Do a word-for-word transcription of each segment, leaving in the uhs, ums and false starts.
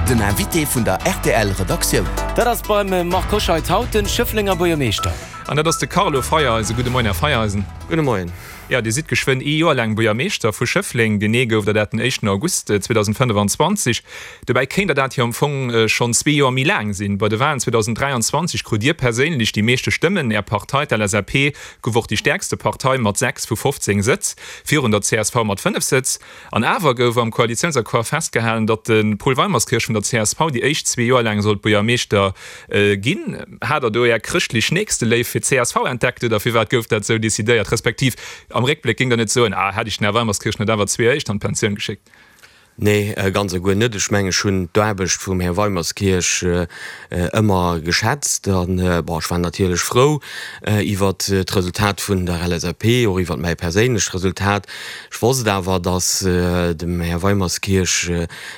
Den Invité vun der R T L Redaktioun. Dat ass beim Marc Hoscheid haut den Schëfflenger Buergermeeschter. An dat ass de Carlo Feiereisen. Gudde Moien, Här Feiereisen. Gudde Moien. Jo, Dir sidd geschwënn ee Joer laang Buergermeeschter vu Schëffleng. Genee gouf der dat den éischten August zweedausendfënnefanzwanzeg. Dobäi kéint der dat jo am Fong schonn zwee Joer méi laang sinn. Bei de Walen zweedausendräianzwanzeg krut Dir perséinlech déi meeschte Stëmmen. Är Partei, d'L S A P, gouf och déi stäerkste Partei mat sechs vu fofzéng Sëtz, virun der C S V mat fënnef Sëtz. An awer gouf am Koalitiounsaccord festgehalen, datt de Paul Weimerskirch vun der C S V déi éischt zwee Joer laang sollt Buergermeeschter ginn. Hat Der do Är chrëschtlech Nächsteléift fir d'C S V entdeckt oder firwat gouf dat esou decidéiert? Respektiv am Réckbléck géing Der net soen, ah, hätt ech den Här Weimerskirch net awer zwee éischt an d'Pensioun geschéckt? Nee, ganz a guer net. Ech mengen, ech hunn d'Aarbecht vum Här Weimerskirch ëmmer geschätzt an, bon, ech war natierlech frou iwwert d'Resultat vun der L S A P, och iwwert mäi perséinlecht Resultat. Ech wosst awer, datt dem Här Weimerskirch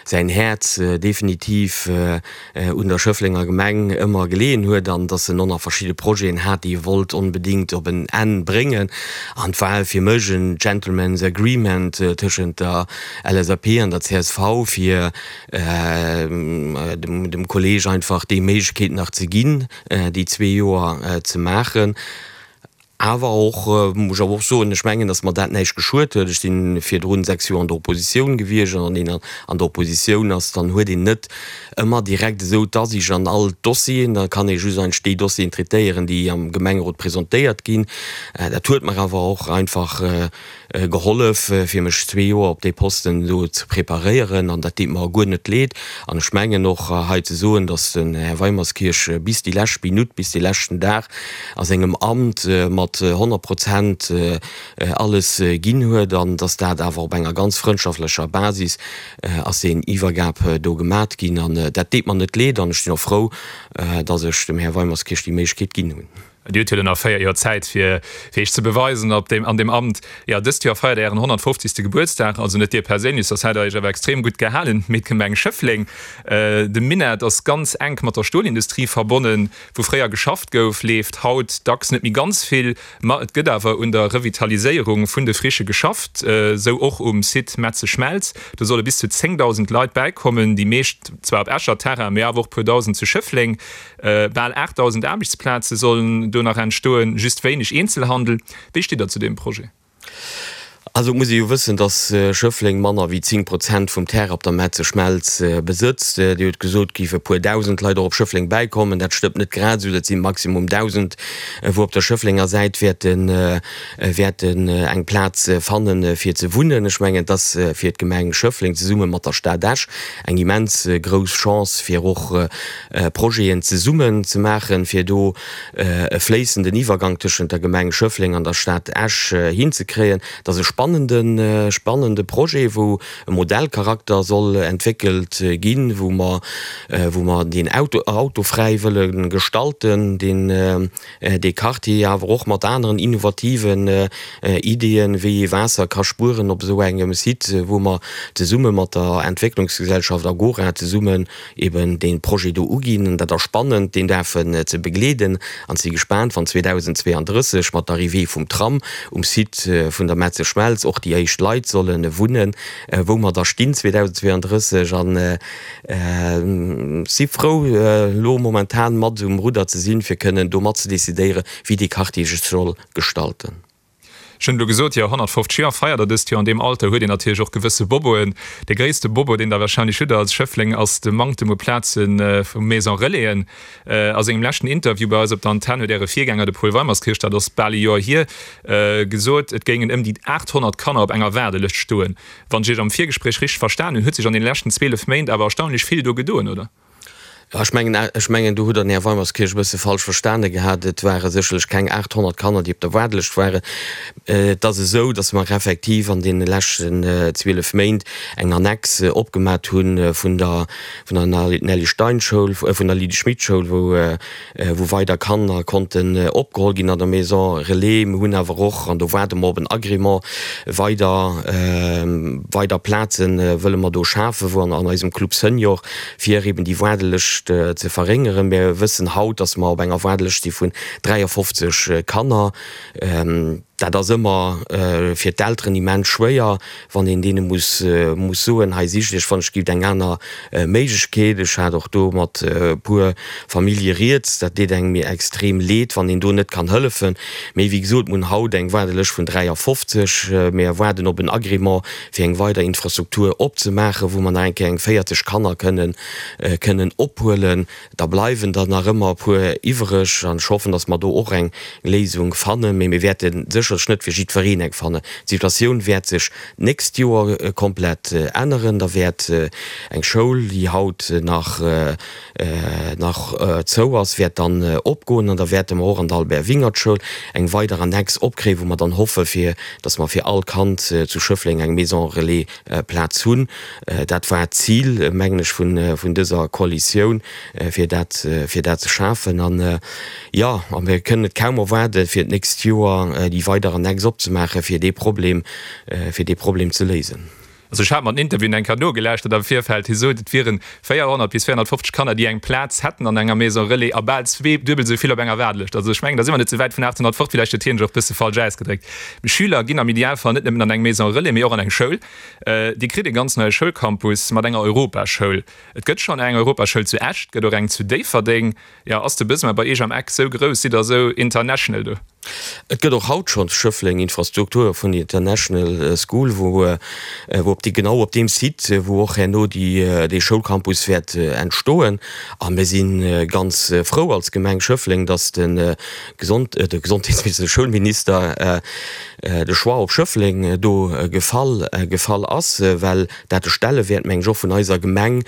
säin Häerz definitiv un der Schëfflenger Gemeng ëmmer geleeën huet an dass en och nach verschidde Projeten hat, déi e wollt onbedéngt op en Enn bréngen. An et war fir mech en Gentleman's Agreement tëschent der L S A P an der C S V, fir dem Kolleeg einfach déi Méiglechkeet nach ze ginn, déi zwee Joer ze maachen. Awer och, muss ech awer och soen, ech mengen, datt mer dat näischt geschuet huet. Ech si virdrun sechs Joer an der Oppositioun gewiescht an wann een an der Oppositioun ass, dann huet een net ëmmer direkt esou d'Asiicht an all d'Dossieren. Da kann ee just eigentlech déi Dossieren traitéieren, déi am Gemengerot presentéiert ginn. Dat huet mer awer och einfach gehollef, fir mech zwee Joer op dee Posten do ze preparéieren an dat deet mer guer net leed. An ech mengen och hei ze soen, datt den Här Weimerskirch bis déi lescht Minutt, bis dee leschten Dag a sengem Amt mat honnert Prozent alles ginn huet an datt dat awer op enger ganz frëndschaftlecher Basis ass deen Iwwergab do gemat ginn. An dat deet mer net leed an ech sinn och frou, datt ech dem Här Weimerskirch déi Méiglechkeet ginn hunn. Dir hutt jo nach véier Joer Zäit fir fir Iech ze beweisen op deem an deem Amt. Jo, dëst Joer feiert Der Ären honnertfofzegste Gebuertsdag, also net Dir perséinlech, soss hätt Der Iech awer extrem gutt gehalen, mee d'Gemeng Schëffleng. De Minett ass ganz enk mat der Stolindustrie verbonnen. Wou fréier geschafft gouf, leeft haut dacks net méi ganz vill. Ma et gëtt awer un der Revitaliséierung vun de Frichë geschafft, esou och um Site Metzeschmelz. Do solle bis zu zéngdausend Leit bäikommen, déi meescht zwar op Escher Terrain, mee awer och e puer Dausend zu Schëffleng. Bal aachtdausend Aarbechtsplaze sollen do nach entstoen, just wéineg Eenzelhandel. Wéi steet Der zu deem Projet? Also et muss ee jo wëssen, datt Schëffleng manner wéi zéng Prozent vum Terrain op der Metzeschmelz besëtzt. Dir hutt gesot, et géife e puer Dausend Leit och op Schëffleng bäikommen. Dat stëmmt net grad esou. Dat si maximum dausend, wou op der Schëfflenger Säit wäerten, wäerten eng Plaz fannen, fir ze wunnen. Ech mengen, et ass fir d'Gemeng Schëffleng zesumme mat der Stad Esch eng immens grouss Chance, fir och Projeten zesummen ze maachen, fir do e fléissenden Iwwergank tëschent der Gemeng Schëffleng an der Stad Esch hinzekréien. Et ass e spannende, spannende Projet, wou e Modellcharakter soll entwéckelt ginn, wou mer, wou mer deen auto, autofräi wëlle gestalten, deen, dee Quartier, awer och mat aneren innovativen Ideeën, wéi ee Waasser ka spueren op esou engem Site, wou mer zesumme mat der Entwécklungsgesellschaft Agora zesummen eben dee Projet do uginn. An dat ass spannend, deen däerfen ze begleeden an si gespaant, wann zweedausendzweeandrësseg mat der Arrivée vum Tram um Site vun der Metzeschmelz och déi éischt Leit solle wunnen, wou mer da stinn zweedausendzweeandrësseg. An si frou, elo momentan mat um Rudder ze sinn, fir kënnen do mat ze decidéieren, wéi dee Quartier sech soll gestalten. Ech hunn elo gesot, jo, honnertfofzeg Joer feiert Der dëst Joer. An deem Alter huet een natierlech och gewësse Boboen. Dee gréisste Bobo, deen Der warscheinlech hutt als Schëffleng, ass de Manktem u Plaze vu Maison-relaisen. A sengem leschten Interview bei eis op der Antenn huet Äre Virgänger, de Paul Weimerskirch, dat ass bal e Joer hier, gesot, et géingen ëm déi aathonnert Kanner op enger Waardelëscht stoen. Wann ech Iech am Virgespréich richteg verstan hunn, huet sech an deene leschten zwielef Méint awer erstaunlech vill do gedoen, oder? Jo, ech mengen, ech mengen, do hutt Der den Här Weimerskirch e bësse falsch verstane gehat. Et ware sécherlech keng aathonnert Kanner, déi op der Waardelëscht waren. Et ass esou, datt mer effektiv an deene leschten zwielef Méint eng Annex opgemat hu vun der, vun der Nelly Stein Schoul, vun der Lydie Schmit Schoul, wou, wou weider Kanner konnten opgeholl ginn an der Maison Relais. Mir hunn awer och, an do waarde mer op en Agrément, weider, weider Plaze wëlle mer do schafen, wou an eisem Club Senior, fir eben déi Waardelëscht ze verréngeren. Mir wëssen haut, dass mer op enger Waardelëscht si vun dräiafofzeg Kanner. Dat ass ëmmer fir d'Elteren immens schwéier, wann een deene muss muss soen, hei sicht iech wann ech gitt eng aner Méiglechkeet. Ech hat och do mat e puer Famillje rieds, dat deet engem extrem leed, wann een do net kann hëllefen. Mee wéi gesot, mir hunn haut eng Waardelëscht vun dräiafofzeg. Mir waarden op en Agrément, fir eng weider Infrastruktur opzemaachen, wou mer nach eng Kéier eng véierzeg Kanner kënnen kënnen ophuelen. Da bleiwen der nach ëmmer e puer iwwereg an ech hoffen, datt mer do och eng Léisung fannen. Mee mir wäerte sécherlech net fir jiddwereen eng fannen. D'Situatioun wäert sech d'nächst Joer komplett änneren. Da wäert eng Schoul, déi haut nach nach zou ass, wäert dann opgoen an da wäerte mer och an der Albert Wingert Schoul eng weider Annex opkréien, wou mer dann hoffe fir datt mer fir all Kand zu Schëffleng eng Maison Relais Plaz hunn. Dat war d'Zil, mengen ech, vun vun dëser Koalitioun, fir dat fir dat ze schafen. An jo, a mir kënnen et kaum erwaarde fir d'nächst Joer déi weider Annex opzemaachen, fir dee Problem fir dee Problem ze léisen. Also ech hat mer den Interview eng Kéier nogelauschtert am Virfeld. Hie sot, et wieren véierhonnert bis véierhonnertfofzeg Kanner, déi eng Plaz hätten an enger Maison Relais a bal zwee, duebel esou vill op enger Waardelëscht. Also ech mengen, da si mer net esou wäit vun aathonnert fort. Villäicht huet hien sech och e bësse falsch ausgedréckt. Schüler ginn am Idealfall net nëmmen an eng Maison Relais, mee och an eng Schoul. Dir kritt e ganz neie Schoulcampus mat enger Europaschoul. Et gëtt schonn eng Europaschoul zu Esch, et gëtt och eng zu Déifferdeng. Jo, ass de Besoin bei Iech am Eck sou grouss? Sidd Der sou international do? Et gëtt och haut schonn zu Schëffleng Infrastrukture vun der International School, wou wou op déi genau op deem Site, wou och herno déi dee Schoulcampus wäert entstoen. A mir si ganz frou als Gemeng Schëffleng, datt de Gesond de Gesondheetsminister, de Schoulminister de Choix op Schëffleng do gefall gefall ass, well dat de Stellewäert, meng ech, och vun eiser Gemeng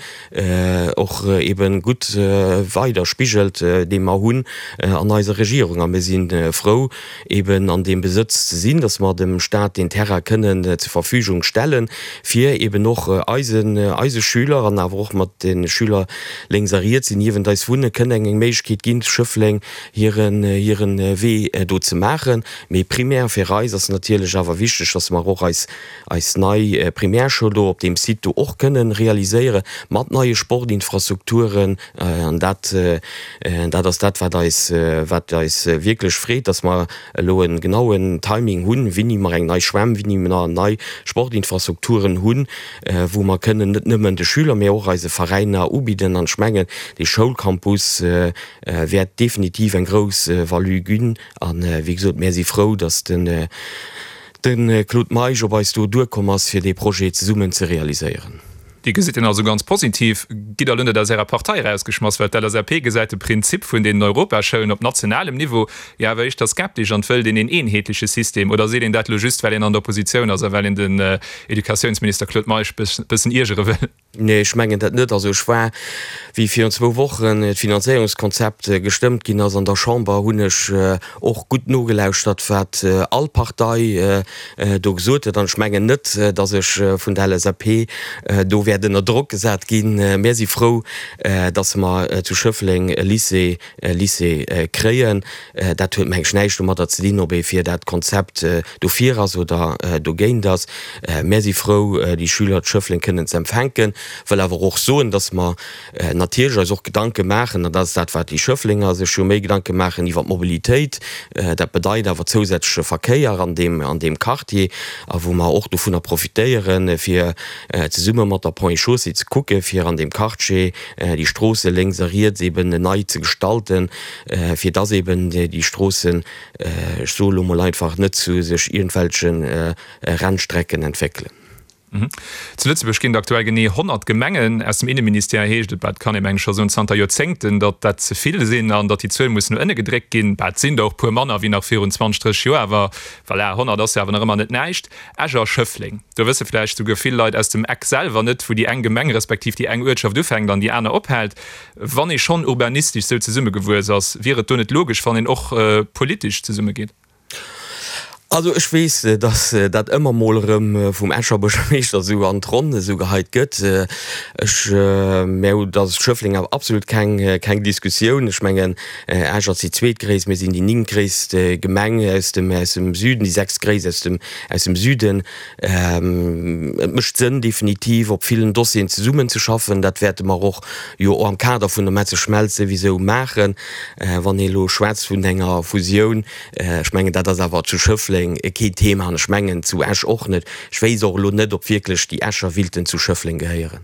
och eebe gutt weider spigelt, dee mer hunn an eiser Regierung. A mir si frou, eeben an deem Besëtz ze sinn, dass mer dem Stat deen Terrain kënnen zur Verfügung stellen, fir eeben och eisen, eise Schüler an awer och mat de Schüler lénks a riets, déi niewent eis wunnen, kënnen eng Méiglechkeet ginn, zu Schëffleng hiren, hiren Wee do ze maachen. Mee primär fir eis ass natierlech awer wichteg, dass mer och eis, eis nei Primärschoul do op deem Site do och kënnen realiséieren, mat neie Sportinfrastrukturen. An dat, dat ass dat, wat eis, wat eis wierklech freet, dass mer elo e genauen Timing hunn, wéini mer eng nei Schwämm, wéini mer nei Sportinfrastrukturen hunn, wou mer kënnen net nëmmen de Schüler, mä och eise Veräiner ubidden. An ech mengen, dee Schoulcampus wäert definitiv eng grouss Value ginn. A wéi gesot, mär si frou, dass den de Claude Meisch op eis do duerkomm ass, fir dee Projet zesummen ze realiséieren. Dir gesitt en also ganz positiv. Gitt Der elo net aus Ärer Partei erausgeschmass, well d'LSAP gesäit de Prinzip vun deenen Europaschoulen op nationalem Niveau jo awer éischter skeptesch an wëllt een een eenheetleche System. Oder seet een dat elo just, well een an der Oppositioun ass a well een den Educatiounsminister Claude Meisch bëssen iergere wëll? Nee, ech mengen dat net. Also ech war, wéi virun zwou Wochen d'Finanzéierungskonzept gestëmmt ginn ass an der Chamber, hunn ech och gutt nogelauschtert, wat all Partei do gesot huet. An ech mengen net, datt ech vun der L S A P do wäert ënner Drock gesat ginn. Mir si frou, datt mer zu Schëffleng e Lycée, e Lycée kréien. Dat huet, meng ech, näischt domadder ze dinn, ob ee fir dat Konzept dofir ass oder dogéint ass. Mär si frou, déi Schüler zu Schëffleng kënnen ze empfänken. Wëll awer och soen, dass mer natierlech eis och Gedanke maachen, an dat ass dat, wat déi Schëfflenger sech jo méi Gedanke maachen iwwer d'Mobilitéit, dat bedeit awer zousätzleche Verkéier an deem, an deem Quartier, a wou mer och dovunner profitéieren, fir zesumme mat der Ponts et Chaussées ze kucken, fir an deem Quartier déi Stroosse lénks a riets eben nei ze gestalten, fir dass eben déi Stroossen, ech soe lo mol einfach, net zu sech iergendwelche Rennstrecken entwéckelen. Zu Lëtzebuerg ginn et aktuell genee honnert Gemengen. Aus dem Inneministère heescht et, bah, et kann ee mengen scho soen zanter Joerzéngten, datt dat ze vill sinn an datt déi Zuel muss no ënne gedréckt ginn. Bah, et sinn der och puer manner wéi nach virun zwanzeg, drësseg Joer, awer voilà, honnert ass jo awer nach ëmmer net näischt. Esch a Schëffleng, do wësse vläicht souguer vill Leit aus dem Eck selwer net, wou déi eng Gemeng respektiv déi eng Uertschaft ufänkt an déi aner ophält. Wann ee schonn urbanistesch sou zesummegewuess ass, wier et do net logesch, wann een och politesch zesummegeet? Also ech weess, datt dat ëmmer mol erëm vum Escher Buergermeeschter esou an d'Ronn esou geheit gëtt. Ech, mä dat ass Schëffleng awer absolut keng, keng Diskussioun. Ech mengen, Esch ass déi zweetgréisst, mir sinn déi néngtgréisst Gemeng aus dem, aus dem Süden, déi sechstgréisst aus dem, aus dem Süden. Et mécht Sënn definitiv op villen Dossieren zesummenzeschaffen. Dat wäerte mer och jo am Kader vun der Metzeschmelz souwisou maachen. Wann ee elo schwätzt vun enger Fusioun, ech mengen, dat ass awer zu Schëffleng Schëffleng keen Thema an ech mengen zu Esch och net. Ech wéisst och elo net, ob wierklech déi Escher willten zu Schëffleng gehéieren.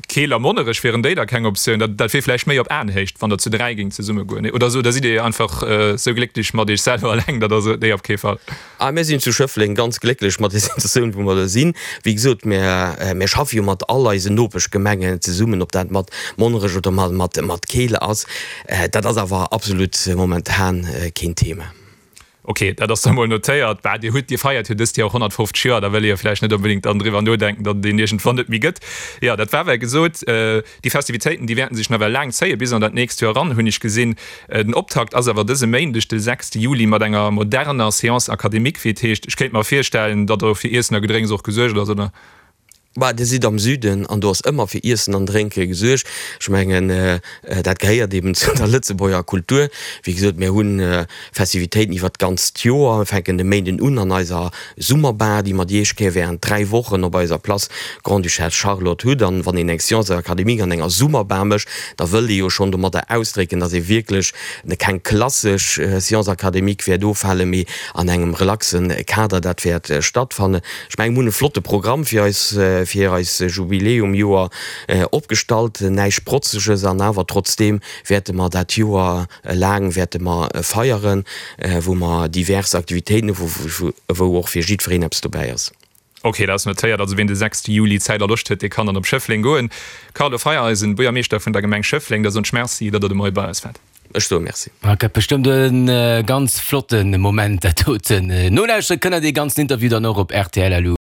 Keel a Monnerech, wieren déi da keng Optioun? Dat dat wier vläicht méi op Aenhéicht, wann der zu dräi géingt zesumme goen, nee? Oder oder sidd Dir einfach esou glécklech mat Iech selwer eleng, datt Der sot, nee, op kee Fall? Ah, mir sinn zu Schëffleng ganz glécklech mat der Situatioun, wou mer do sinn. Wéi gesot, mir mir schaffe jo mat all eisen Nopeschgemengen zesummen, ob dat mat Monnerech oder mat mat mat Keel ass. Dat ass awer absolut momentan keen Thema. Ok, dat ass da mol notéiert. Bah, Dir hutt, Dir feiert jo dëst Joer och honnertfofzeg Joer, da wëll ee jo vläicht net onbedéngt dann driwwer nodenken, datt et een iergendwann net méi gëtt. Jo, dat war well gesot. Déi Festivitéiten, déi wäerten sech nawell laang zéien, bis an dat nächst Joer eran, hunn ech gesinn. Den Optakt ass awer dëse Méindeg, de sechste Juli, mat enger moderner Séance académique, wéi et heescht. Ech kéint mer virstellen, datt do fir Iessen a Gedrénks och gesuergt ass, oder? Bah, Dir sidd am Süden an do ass ëmmer fir Iessen an Drénke gesuergt. Ech mengen, dat gehéiert eben zu der Lëtzebuerger Kultur. Wéi gesot, mir hu Festivitéiten iwwert d'ganzt Joer. Mir fänken de Méinden un an eiser Summerbar, déi mer déi éischt Kéier während dräi Wochen op eiser Place Grande-Duchesse Charlotte hutt. An wann een eng Séance académique an enger Summerbar mécht, da wëllt ee jo schonn domadder ausdrécken, dass ee wierklech keng klassesch Séance académique wäert ofhalen, mee an engem relaxe Kader dat wäert stattfannen. Ech mengen, mir hunn e flotte Programm fir eis, fir eis Jubiläumjoer opgestallt. Näischt Protzeges an awer trotzdeem wäerte mer dat Joer laang wäerte mer feieren, wou mer divers Aktivitéiten hu, wou och fir jiddwereen eppes dobäi ass. Ok, dat ass notéiert. Also wien de sechste Juli Zäit a Loscht huet, dee kann dann op Schëffleng goen. Carlo Feiereisen, Buergermeeschter vun der Gemeng Schëffleng, da soen ech Merci, datt Der de Moie bei eis waart. Ech soe Merci. Et gëtt bestëmmt e ganz flotte Moment dat doten. Nolauschtere kënnt der dee ganzen Interview dann och op rtl.